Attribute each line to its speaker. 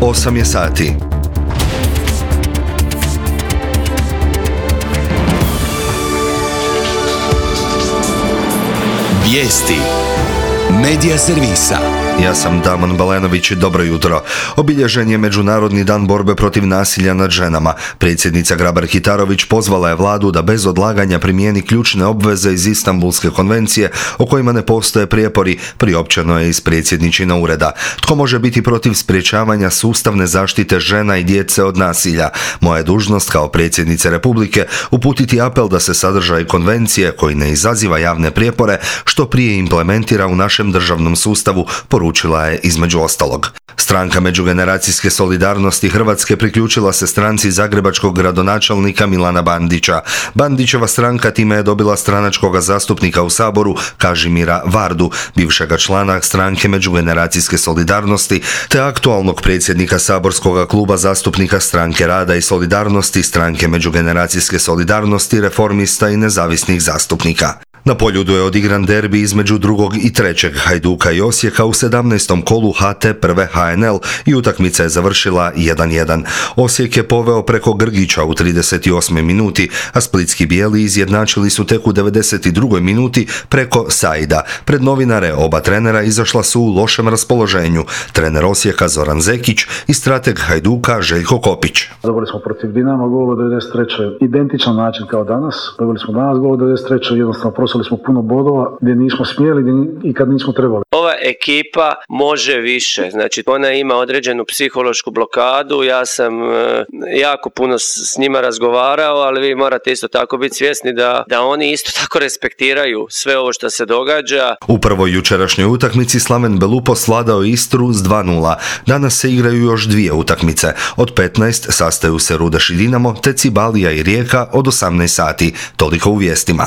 Speaker 1: 8 je sati.
Speaker 2: Vijesti Medija servisa.
Speaker 1: Ja sam Damon Balenović i dobro jutro. Obilježen je Međunarodni dan borbe protiv nasilja nad ženama. Predsjednica Grabar-Kitarović pozvala je vladu da bez odlaganja primijeni ključne obveze iz Istanbulske konvencije o kojima ne postoje prijepori, priopćeno je iz predsjedničina ureda. Tko može biti protiv sprječavanja sustavne zaštite žena i djece od nasilja? Moja je dužnost kao predsjednice Republike uputiti apel da se sadržaj konvencije, koji ne izaziva javne prijepore, što prije implementira u našem državnom sustavu, poručila je između ostalog. Stranka međugeneracijske solidarnosti Hrvatske priključila se stranci zagrebačkog gradonačelnika Milana Bandića. Bandićeva stranka time je dobila stranačkog zastupnika u Saboru Kažimira Vardu, bivšega člana stranke međugeneracijske solidarnosti, te aktualnog predsjednika saborskog kluba zastupnika Stranke rada i solidarnosti, stranke međugeneracijske solidarnosti, reformista i nezavisnih zastupnika. Na Poljudu je odigran derbi između drugog i trećeg Hajduka i Osijeka u 17. kolu HT prve HNL i utakmica je završila 1:1. Osijek je poveo preko Grgića u 38. minuti, a splitski bijeli izjednačili su tek u 92. minuti preko Saida. Pred novinare oba trenera izašla su u lošem raspoloženju. Trener Osijeka Zoran Zekić i strateg Hajduka Željko Kopić.
Speaker 3: Dobili smo protiv Dinama gol u 93. identičan način kao danas. Dobili smo danas gol u 93. jednostavno prosili smo puno bodova gdje nismo smjeli i kad nismo trebali.
Speaker 4: Ova ekipa može više, znači ona ima određenu psihološku blokadu, ja sam jako puno s njima razgovarao, ali vi morate isto tako biti svjesni da oni isto tako respektiraju sve ovo što se događa.
Speaker 1: U prvoj jučerašnjoj utakmici Slaven Belupo svladao Istru s 2:0. Danas se igraju još dvije utakmice. Od 15 sastaju se Rudeš i Dinamo, te Cibalija i Rijeka od 18 sati. Toliko u vijestima.